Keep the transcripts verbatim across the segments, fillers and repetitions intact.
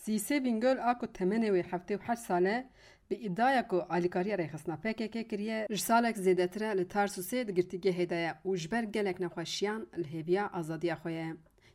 Sîsê Bingöl a ku temenê wê heftê û heşt sal e, bi îdiaya ku alîkariya rêxistina P K K kiriye, ji salek zêdetir e li Tarsusê di girtîgehê de ye û ji ber gelek nexweşiyan li hêviya azadiya xwe ye.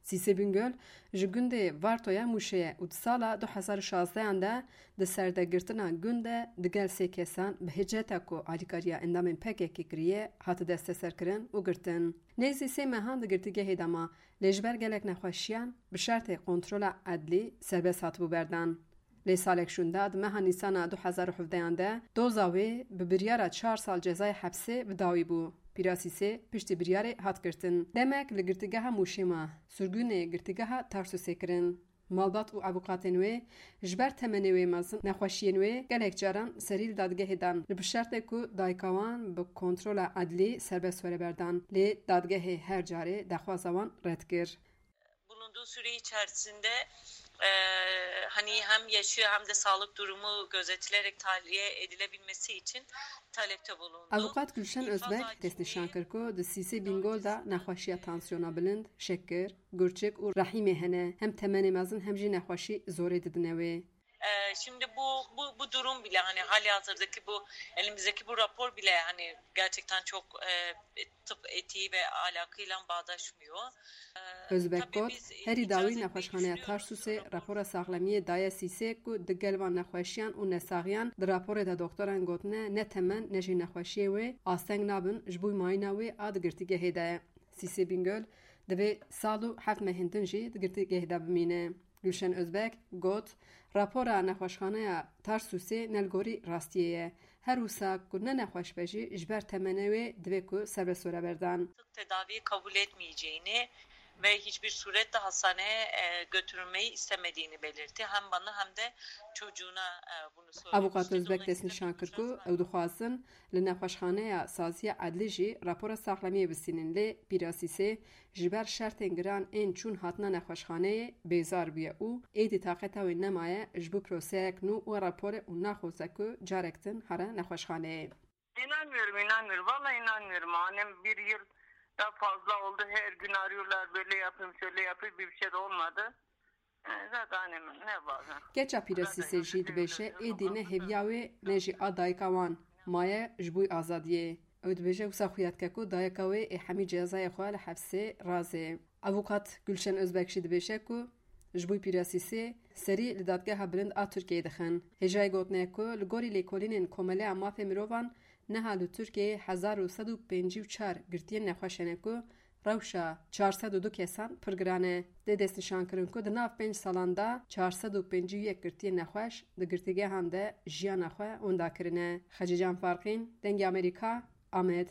Sîsê Bingöl ji gundê Vartoya Mûşê ye û di sala du hezar û şazdehan de di serdegirtina gund de digel sê kesan bi hiceta ku alîkariya endamên P K K kiriye hate desteserkirin û girtin. Nêzî sê mehan di girtîgehê de ma, lê ji ber gelek nexweşiyan bi şertê kontrola edlî serbest hatibû berdan. Lê salek şûnda di meha Nîsana du hezar û hevdehan de doza wê bi biryara çar sal cezayê hepsê bi dawî bû. Pîra Sîsê piştî biryarê hat girtin. Demek li girtîgeha Mûşê ma, sirgûnê girtîgeha Tarsusê kirin. Malbat û avûkatên wê ji ber temenê wê mezin, nexweşiyên wê gelek caran serî li dadgehê dan. Li bi şertê ku dayika wan bi kontrola edlî serbest were berdan. Lê dadgehê her carê daxwaza wan red kir. Bulunduğu süre içerisinde, e, hani hem yaşı hem de sağlık durumu gözetilerek tahliye edilebilmesi için talepte bulundu. Avûkat Gülşen Özbek destnîşan kir ku di Sîsê Bingöl de nexweşiya tansiyona bilind, şekir, gurçik û rehîmê hene. Hem temenê mezin hem jî nexweşî zorê didine wê. Ee, şimdi bu, bu, bu durum bile, hani hali hazırdaki bu elimizdeki bu rapor bile hani gerçekten çok, e, tıp etiği ve ahlakıyla bağdaşmıyor. Ee, Özbek tabii got, biz herî dawî nexweşxaneya Tarsusê rapora saxlemiyê daye Sîsê ku digel van nexweşiyan û nesaxiyan di raporê de doktoran gotine ne temen ne jî nexweşiyê wê asteng nabin ji bo mayîna wê a di girtîgehê de ye. Sîsê Bingöl divê sal û heft mehên din jî di girtîgehê de bimîne. Gülşen Özbek got, rapora nexweşxaneya Tarsusê ne li gorî rastiyê ye. Her wisa ku ne nexweş be jî ji ber temenê wê divê ku serbest were berdan. Tedaviyi kabul etmeyeceğini ve hiçbir surette hastaneye, e, götürülmeyi istemediğini belirtti. Hem bana hem de çocuğuna, e, bunu söyledi. Avûkat Özbek destnîşan kir ku ew dixwazin li nexweşxaneya Saziya Edlî jî rapora saxlemiyê bistînin, lê Pîra Sîsê ji ber şertên giran ên çûn hatina nexweşxaneyê bêzar bûye û êdî taqeta wê nemaye ji bo proseyek nû wê raporê û naxwaze ku carek din here nexweşxaneyê. İnanmıyorum, inanmıyorum. Vallahi inanmıyorum. Annem bir yıl da fazla oldu. Her gün arıyorlar, böyle yapayım, şöyle yapayım, bir şey de olmadı. E, zaten annem ne var? Keça Pîra Sîsê jî dibêje, êdî ne hêviya wê ne jî a dayika wan maye ji bo azadiyê. Ew dibêje, wisa xuya dike ku dayika wê ê hemî cezayê xwe li hefsê razê. Avûkat Gülşen Özbek jî dibêje ku ji bo Pîra Sîsê serî li Dadgeha Bilind a Tirkiyeyê dixin. Hêjayê gotinê ye ku li gorî lêkolînên Komeleya Mafê Mirovan niha li Tirkiyeyê hezar û sed û pêncî û çar girtiyên nexweş hene ku rewşa çar sed û du kesan pir giran e. Tê destnîşankirin ku di nav pênc salan de çar sed û pêncî û yek girtiyên nexweş di girtîgehan de jiyana xwe winda kirine. Xecîcan Farqîn, Dengê Amerîka, Amed.